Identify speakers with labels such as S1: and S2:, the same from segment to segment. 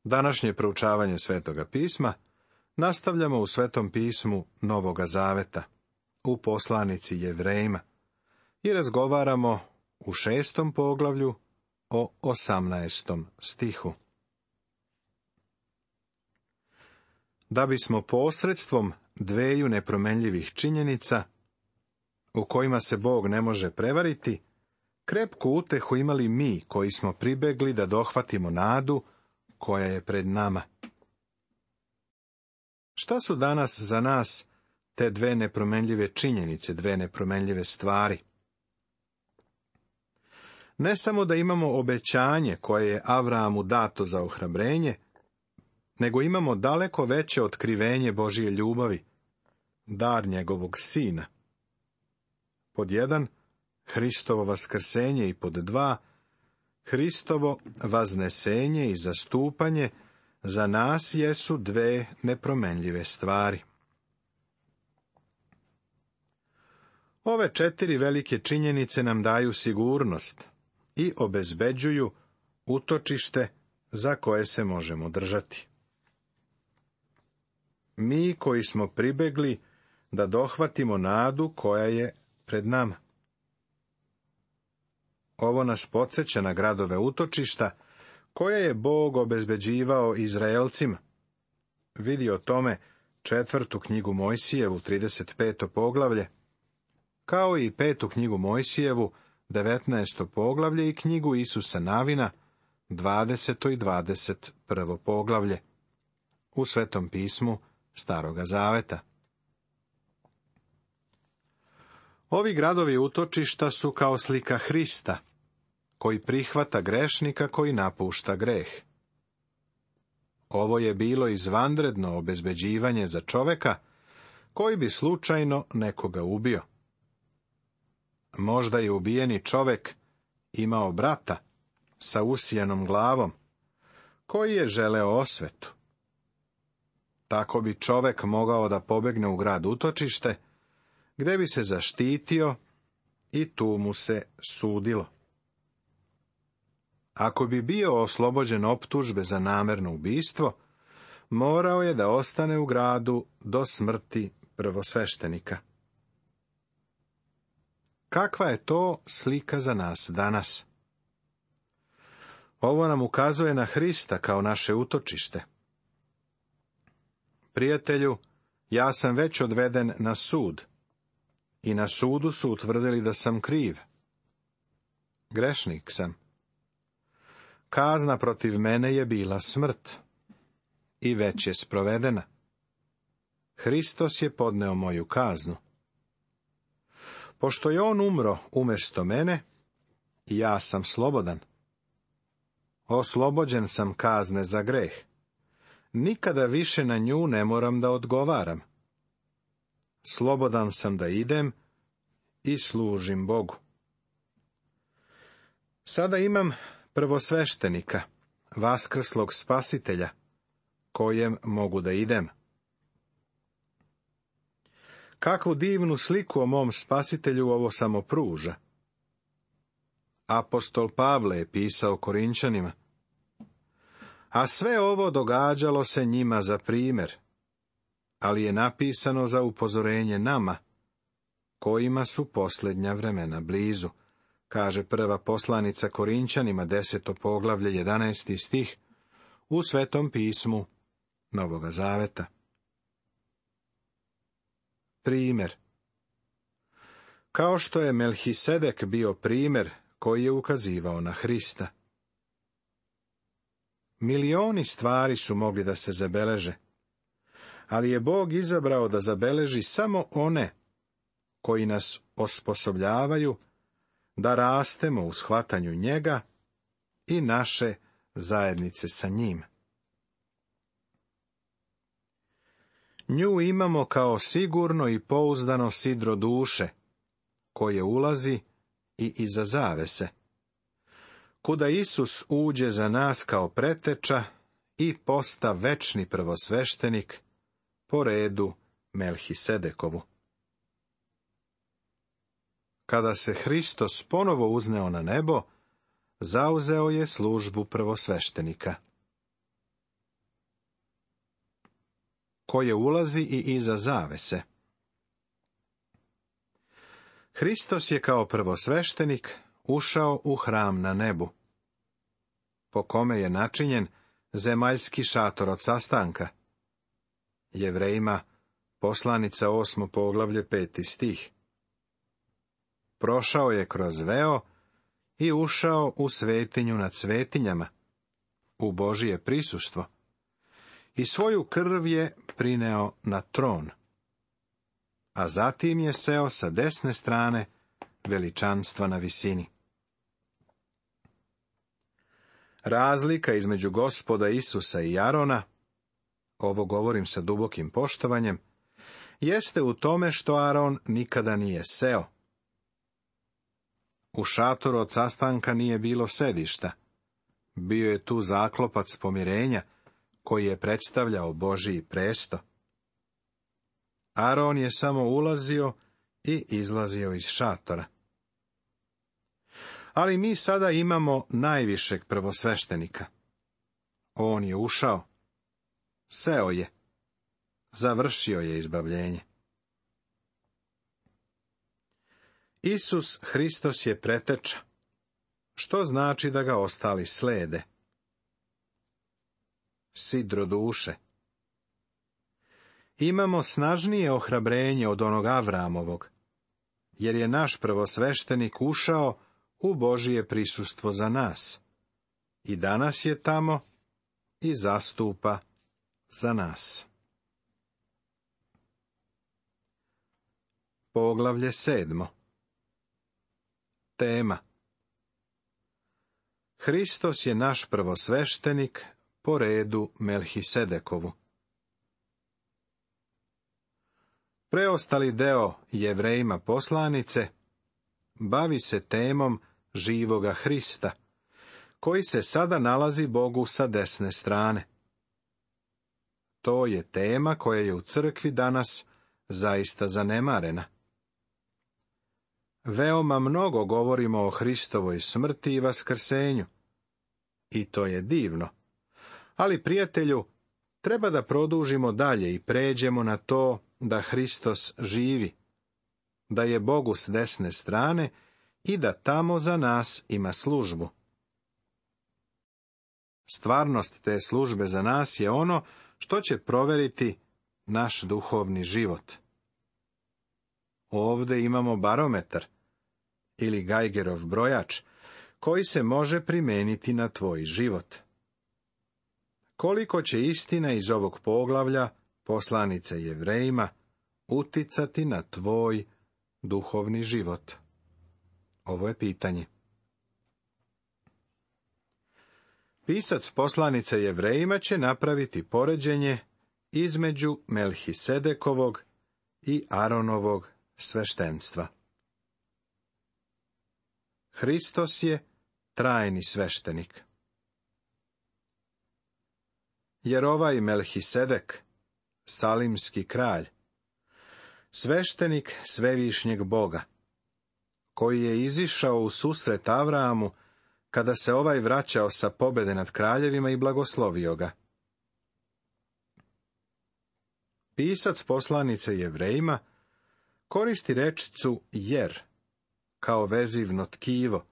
S1: Današnje proučavanje Svetoga pisma nastavljamo u Svetom pismu Novoga Zaveta, u poslanici Jevrejima, i razgovaramo u 6. poglavlju o 18. stihu. Da bismo posredstvom dveju nepromenljivih činjenica, u kojima se Bog ne može prevariti, krepku utehu imali mi koji smo pribegli da dohvatimo nadu koja je pred nama. Šta su danas za nas te dve nepromenljive činjenice, dve nepromenljive stvari? Ne samo da imamo obećanje koje je Avrahamu dato za ohrabrenje, nego imamo daleko veće otkrivenje Božije ljubavi, dar njegovog Sina. Pod 1, Hristovo vaskrsenje, i pod 2, Hristovo vaznesenje i zastupanje za nas jesu dve nepromenljive stvari. Ove 4 velike činjenice nam daju sigurnost i obezbeđuju utočište za koje se možemo držati. Mi koji smo pribegli da dohvatimo nadu koja je pred nama. Ovo nas podsjeća na gradove utočišta koje je Bog obezbeđivao Izraelcima. Vidi o tome 4. knjigu Mojsijevu, 35. poglavlje, kao i 5. knjigu Mojsijevu, 19. poglavlje, i knjigu Isusa Navina, 20. i 21. poglavlje, u Svetom pismu Staroga Zaveta. Ovi gradovi utočišta su kao slika Hrista, koji prihvata grešnika koji napušta greh. Ovo je bilo izvanredno obezbeđivanje za čoveka koji bi slučajno nekoga ubio. Možda je ubijeni čovek imao brata sa usijanom glavom, koji je želeo osvetu. Tako bi čovek mogao da pobegne u grad utočište, gde bi se zaštitio i tu mu se sudilo. Ako bi bio oslobođen optužbe za namerno ubistvo, morao je da ostane u gradu do smrti prvosveštenika. Kakva je to slika za nas danas? Ovo nam ukazuje na Hrista kao naše utočište. Prijatelju, ja sam već odveden na sud, i na sudu su utvrdili da sam kriv. Grešnik sam. Kazna protiv mene je bila smrt, i već je sprovedena. Hristos je podneo moju kaznu. Pošto je on umro umjesto mene, ja sam slobodan. Oslobođen sam kazne za greh. Nikada više na nju ne moram da odgovaram. Slobodan sam da idem i služim Bogu. Sada imam prvosveštenika, vaskrslog Spasitelja, kojem mogu da idem. Kakvu divnu sliku o mom Spasitelju ovo samo pruža. Apostol Pavle je pisao Korinčanima: a sve ovo događalo se njima za primjer, ali je napisano za upozorenje nama, kojima su posljednja vremena blizu, kaže prva poslanica Korinčanima, 10. poglavlje, 11. stih, u Svetom pismu Novoga Zaveta. Primjer. Kao što je Melhisedek bio primjer koji je ukazivao na Hrista. Milioni stvari su mogli da se zabeleže, ali je Bog izabrao da zabeleži samo one koji nas osposobljavaju da rastemo u shvatanju njega i naše zajednice sa njim. Nju imamo kao sigurno i pouzdano sidro duše, koje ulazi i iza zavese, kuda Isus uđe za nas kao preteča i posta večni prvosveštenik po redu Melhisedekovu. Kada se Hristos ponovo uzneo na nebo, zauzeo je službu prvosveštenika. koje ulazi i iza zavese. Hristos je kao prvosveštenik ušao u hram na nebu, po kome je načinjen zemaljski šator od sastanka. Jevrejima, poslanica 8. poglavlje 5. stih. Prošao je kroz veo i ušao u svetinju nad svetinjama, u Božije prisustvo, i svoju krv je prineo na tron, a zatim je seo sa desne strane veličanstva na visini. Razlika između Gospoda Isusa i Arona, ovo govorim sa dubokim poštovanjem, jeste u tome što Aron nikada nije seo. U šatoru od sastanka nije bilo sedišta. Bio je tu zaklopac pomirenja, koji je predstavljao Božji presto. Aron je samo ulazio i izlazio iz šatora. Ali mi sada imamo najvišeg prvosveštenika. On je ušao, seo je, završio je izbavljenje. Isus Hristos je preteča, što znači da ga ostali slede. Sidro duše. Imamo snažnije ohrabrenje od onog Avramovog, jer je naš prvosveštenik ušao u Božije prisustvo za nas, i danas je tamo i zastupa za nas. Poglavlje 7. Tema: Hristos je naš prvosveštenik po redu Melhisedekovu. Preostali deo Jevrejima poslanice bavi se temom živoga Hrista, koji se sada nalazi Bogu sa desne strane. To je tema koja je u crkvi danas zaista zanemarena. Veoma mnogo govorimo o Hristovoj smrti i vaskrsenju, i to je divno. Ali, prijatelju, treba da produžimo dalje i pređemo na to da Hristos živi, da je Bogu s desne strane i da tamo za nas ima službu. Stvarnost te službe za nas je ono što će proveriti naš duhovni život. Ovde imamo barometar, ili Geigerov brojač, koji se može primeniti na tvoj život. Koliko će istina iz ovog poglavlja, poslanice Jevrejima, uticati na tvoj duhovni život? Ovo je pitanje. Pisac poslanice Jevrejima će napraviti poređenje između Melhisedekovog i Aronovog sveštenstva. Hristos je trajni sveštenik. Jer ovaj Melhisedek, salimski kralj, sveštenik svevišnjeg Boga, koji je izišao u susret Avramu kada se ovaj vraćao sa pobede nad kraljevima i blagoslovio ga. Pisac poslanice Jevrejima koristi rečicu jer kao vezivno tkivo,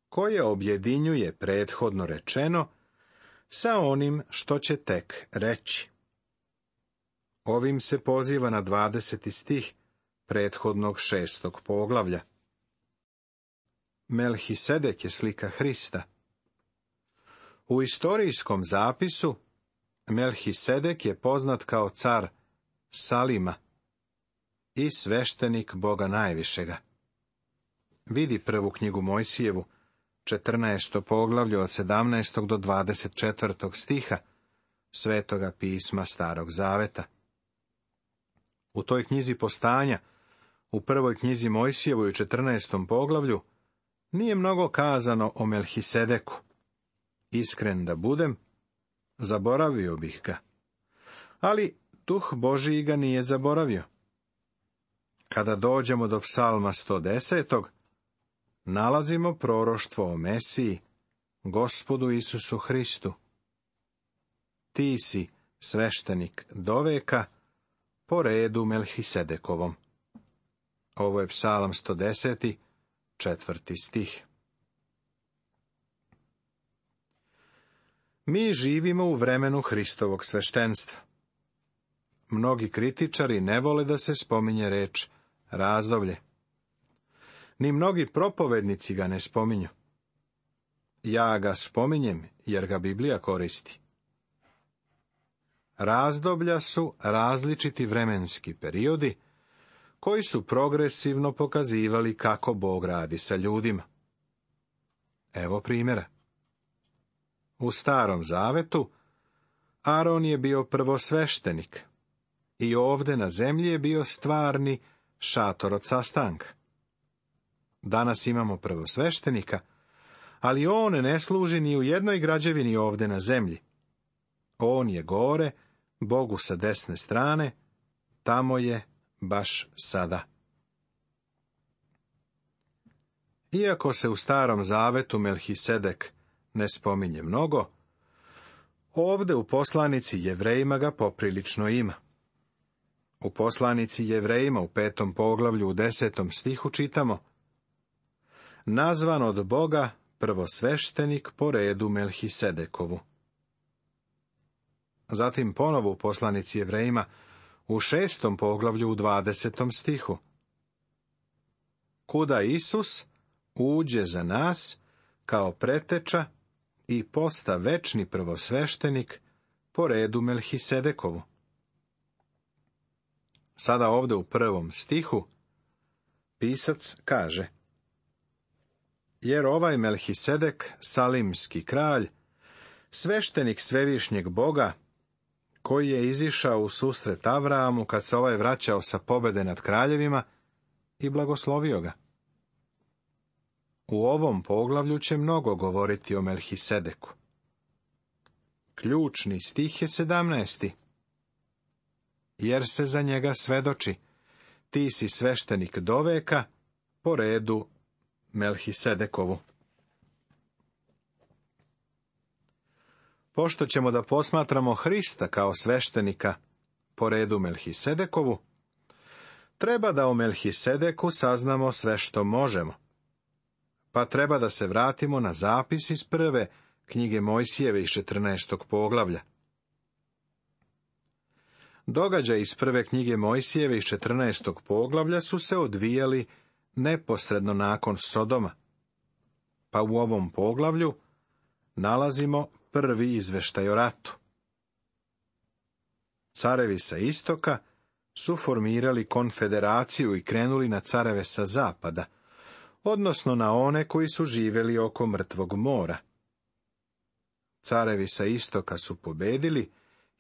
S1: koje objedinjuje prethodno rečeno sa onim što će tek reći. Ovim se poziva na 20. stih prethodnog 6. poglavlja. Melhisedek je slika Hrista. U istorijskom zapisu Melhisedek je poznat kao car Salima i sveštenik Boga najvišega. Vidi prvu knjigu Mojsijevu, 14. poglavlje od 17. do 24. stiha Svetoga pisma Starog Zaveta. U toj knjizi Postanja, u prvoj knjizi Mojsijevoj u 14. poglavlju, nije mnogo kazano o Melhisedeku. Iskren da budem, zaboravio bih ga. Ali Duh Božiji ga nije zaboravio. Kada dođemo do psalma 110. nalazimo proroštvo o Mesiji, Gospodu Isusu Hristu. Ti si sveštenik doveka, po redu Melhisedekovom. Ovo je Psalam 110, 4. stih. Mi živimo u vremenu Hristovog sveštenstva. Mnogi kritičari ne vole da se spominje reč razdoblje. Ni mnogi propovednici ga ne spominju. Ja ga spominjem jer ga Biblija koristi. Razdoblja su različiti vremenski periodi koji su progresivno pokazivali kako Bog radi sa ljudima. Evo primjera. U Starom Zavetu Aron je bio prvosveštenik i ovde na zemlji je bio stvarni šator od sastanka. Danas imamo prvosveštenika, ali on ne služi ni u jednoj građevini ovde na zemlji. On je gore, Bogu sa desne strane, tamo je baš sada. Iako se u Starom Zavetu Melhisedek ne spominje mnogo, ovde u poslanici Jevrejima ga poprilično ima. U poslanici Jevrejima u 5. poglavlju u 10. stihu čitamo: nazvan od Boga prvosveštenik po redu Melhisedekovu. Zatim ponovo u poslanici Jevrejima u 6. poglavlju u 20. stihu: kuda Isus uđe za nas kao preteča i posta večni prvosveštenik po redu Melhisedekovu. Sada ovde u 1. stihu pisac kaže: jer ovaj Melhisedek, salimski kralj, sveštenik svevišnjeg Boga, koji je izišao u susret Avraamu kad se ovaj vraćao sa pobede nad kraljevima i blagoslovio ga. U ovom poglavlju će mnogo govoriti o Melhisedeku. Ključni stih je 17. Jer se za njega svedoči: ti si sveštenik doveka po redu Melhisedekovu. Pošto ćemo da posmatramo Hrista kao sveštenika po redu Melhisedekovu, treba da o Melhisedeku saznamo sve što možemo. Pa treba da se vratimo na zapis iz 1. knjige Mojsijeve iz 14. poglavlja. Događaji iz 1. knjige Mojsijeve iz 14. poglavlja su se odvijali neposredno nakon Sodoma. Pa u ovom poglavlju nalazimo prvi izveštaj o ratu. Carevi sa istoka su formirali konfederaciju i krenuli na careve sa zapada, odnosno na one koji su živjeli oko Mrtvog mora. Carevi sa istoka su pobedili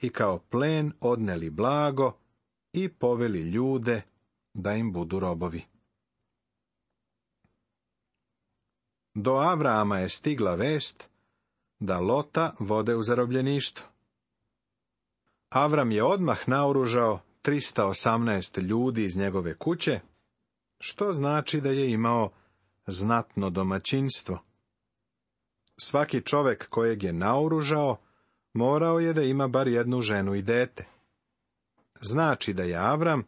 S1: i kao plen odneli blago i poveli ljude da im budu robovi. Do Avraama je stigla vest da Lota vode u zarobljeništvo. Avram je odmah naoružao 318 ljudi iz njegove kuće, što znači da je imao znatno domaćinstvo. Svaki čovek kojeg je naoružao morao je da ima bar jednu ženu i dete. Znači da je Avram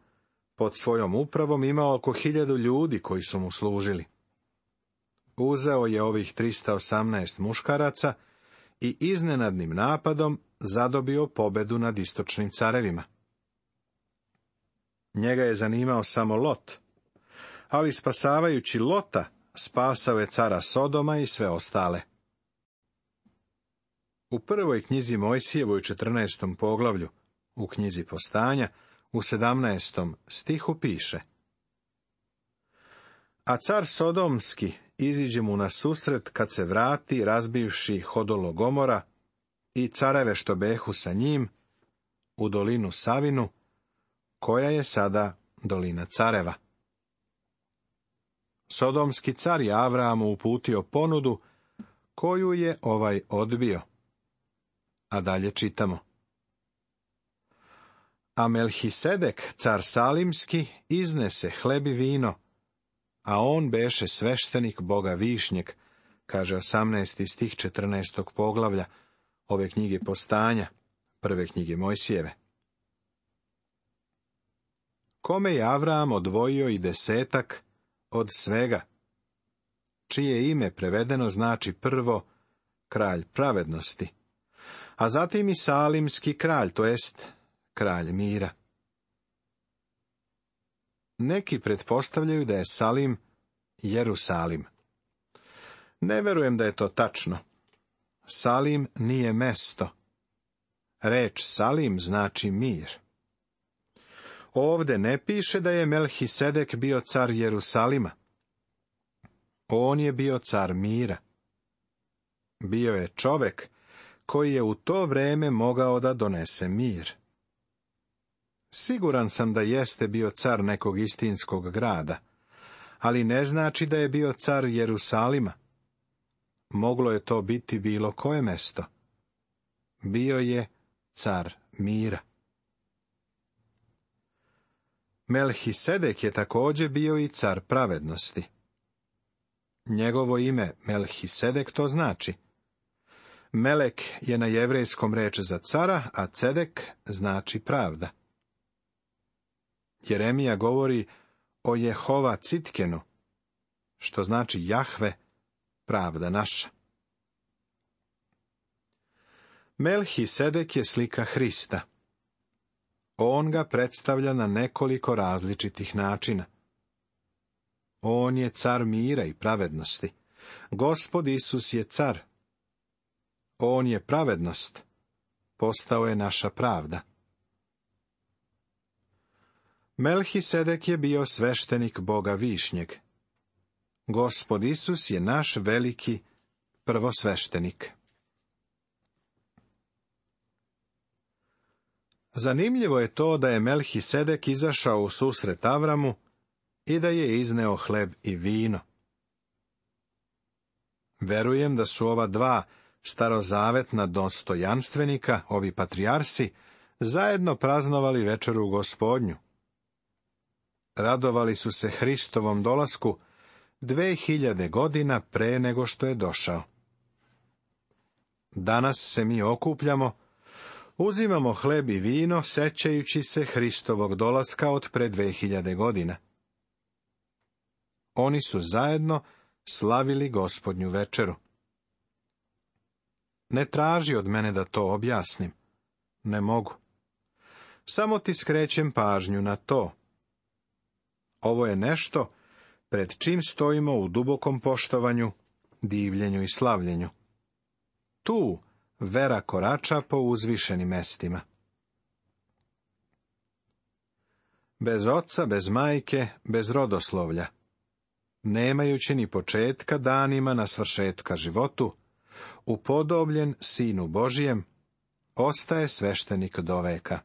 S1: pod svojom upravom imao oko 1000 ljudi koji su mu služili. Uzeo je ovih 318 muškaraca i iznenadnim napadom zadobio pobedu nad istočnim carevima. Njega je zanimao samo Lot, ali spasavajući Lota, spasao je cara Sodoma i sve ostale. U 1. knjizi Mojsijevoj 14. poglavlju, u knjizi Postanja, u 17. stihu piše: a car Sodomski iziđe mu na susret kad se vrati, razbivši Hodolo Gomora i careve što behu sa njim, u dolinu Savinu, koja je sada dolina careva. Sodomski car je Avraamu uputio ponudu, koju je ovaj odbio. A dalje čitamo: a Melhisedek, car Salimski, iznese hleb i vino, a on beše sveštenik Boga Višnjeg, kaže 18. stih 14. poglavlja ove knjige Postanja, prve knjige Mojsijeve. Kome je Avram odvojio i 10 od svega, čije ime prevedeno znači prvo kralj pravednosti, a zatim i salimski kralj, to jest kralj mira. Neki pretpostavljaju da je Salim Jerusalim. Ne verujem da je to tačno. Salim nije mesto. Reč Salim znači mir. Ovde ne piše da je Melhisedek bio car Jerusalima. On je bio car mira. Bio je čovek koji je u to vreme mogao da donese mir. Siguran sam da jeste bio car nekog istinskog grada, ali ne znači da je bio car Jerusalima. Moglo je to biti bilo koje mesto. Bio je car mira. Melhisedek je također bio i car pravednosti. Njegovo ime Melhisedek to znači. Melek je na jevrejskom reč za cara, a Cedek znači pravda. Jeremija govori o Jehova Citkenu, što znači Jahve, pravda naša. Melhisedek je slika Hrista. On ga predstavlja na nekoliko različitih načina. On je car mira i pravednosti. Gospod Isus je car. On je pravednost. Postao je naša pravda. Melhisedek je bio sveštenik Boga Višnjeg. Gospod Isus je naš veliki prvosveštenik. Zanimljivo je to da je Melhisedek izašao u susret Avramu i da je izneo hleb i vino. Verujem da su ova dva starozavetna dostojanstvenika, ovi patrijarsi, zajedno praznovali večeru Gospodnju. Radovali su se Hristovom dolasku 2000 godina pre nego što je došao. Danas se mi okupljamo, uzimamo hleb i vino, sećajući se Hristovog dolaska od pre 2000 godina. Oni su zajedno slavili Gospodnju večeru. Ne traži od mene da to objasnim. Ne mogu. Samo ti skrećem pažnju na to. Ovo je nešto pred čim stojimo u dubokom poštovanju, divljenju i slavljenju. Tu vera korača po uzvišenim mestima. Bez oca, bez majke, bez rodoslovlja, nemajući ni početka danima na svršetka životu, upodobljen Sinu Božijem, ostaje sveštenik do veka.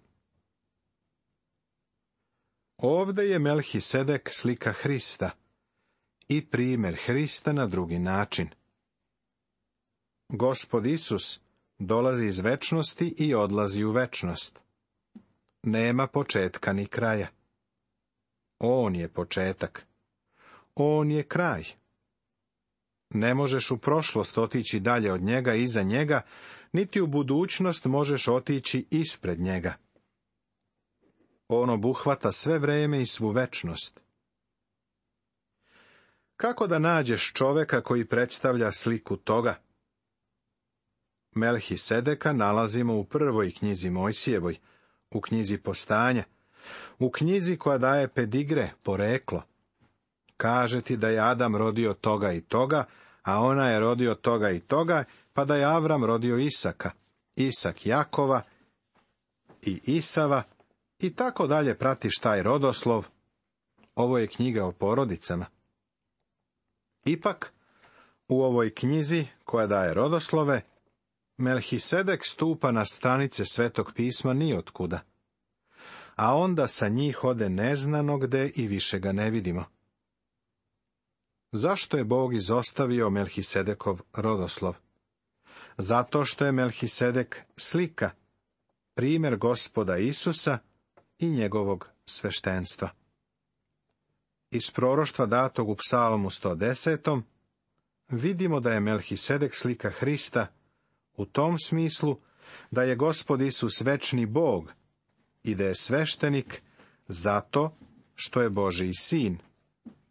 S1: Ovde je Melhisedek slika Hrista i primjer Hrista na drugi način. Gospod Isus dolazi iz večnosti i odlazi u večnost. Nema početka ni kraja. On je početak. On je kraj. Ne možeš u prošlost otići dalje od njega, iza njega, niti u budućnost možeš otići ispred njega. On obuhvata sve vreme i svu večnost. Kako da nađeš čoveka koji predstavlja sliku toga? Melhisedeka nalazimo u prvoj knjizi Mojsijevoj, u knjizi Postanja, u knjizi koja daje pedigre, poreklo. Kaže ti da je Adam rodio toga i toga, a ona je rodio toga i toga, pa da je Avram rodio Isaka, Isak Jakova i Isava, i tako dalje pratiš taj rodoslov. Ovo je knjiga o porodicama. Ipak, u ovoj knjizi koja daje rodoslove, Melhisedek stupa na stranice Svetog pisma nijotkuda, a onda sa njih ode neznano gde i više ga ne vidimo. Zašto je Bog izostavio Melhisedekov rodoslov? Zato što je Melhisedek slika, primjer Gospoda Isusa i njegovog sveštenstva. Iz proroštva datog u Psalmu 110. vidimo da je Melhisedek slika Hrista u tom smislu da je Gospod Isus večni Bog i da je sveštenik zato što je Božji sin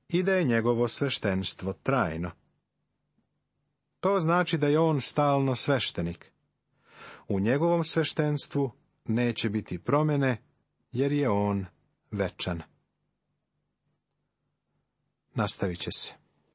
S1: i da je njegovo sveštenstvo trajno. To znači da je on stalno sveštenik. U njegovom sveštenstvu neće biti promjene, jer je on večan. Nastavit će se.